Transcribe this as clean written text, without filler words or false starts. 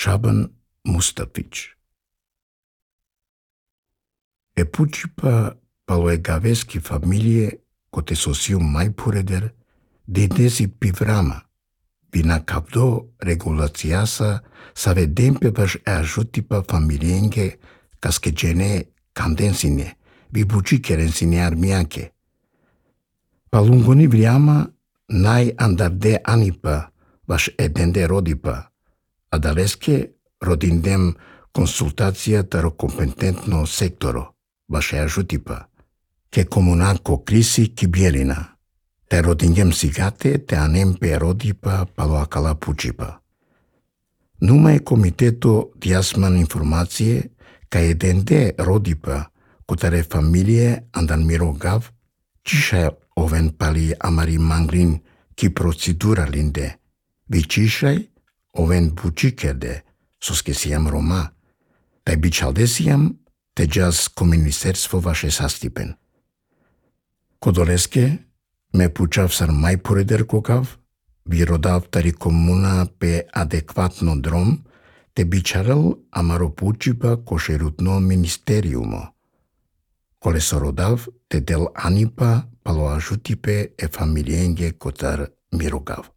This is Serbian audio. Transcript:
Шабан Мустафич. Епучипа палоегавески фамилие коте сосиу майпуредер дедеси пиврама, бина кавдо регулациаса саве демпе ваш ажутипа фамилиенге каскеджене канденсине, вибучи керенсине армианке. Палунгони вриама най андарде анипа ваш еденде родипа, а далеске родиндем консултацията ро компетентно секторо, ваше ажутипа, ке комунако криси ки биелина, те родингем сигате те анемпе родипа палоакала пучипа. Нума е комитето диасман информация ка еденде родипа, котаре фамилие андан мирогав, чиша овен пали амари мангрин ки процедура линде, вичишай овен бучикерде, соскесиям рома, тај бичалдесиям те джаз ко министерство ваше састипен. Кодолеске ме пучав сар мајпоредер кокав, ви родав тари комуна пе адекватно дром, те бичарал амаро пучипа кошерутно министериумо. Коле со родав те дел анипа пало ажутипе е фамилиенге котар мирогав.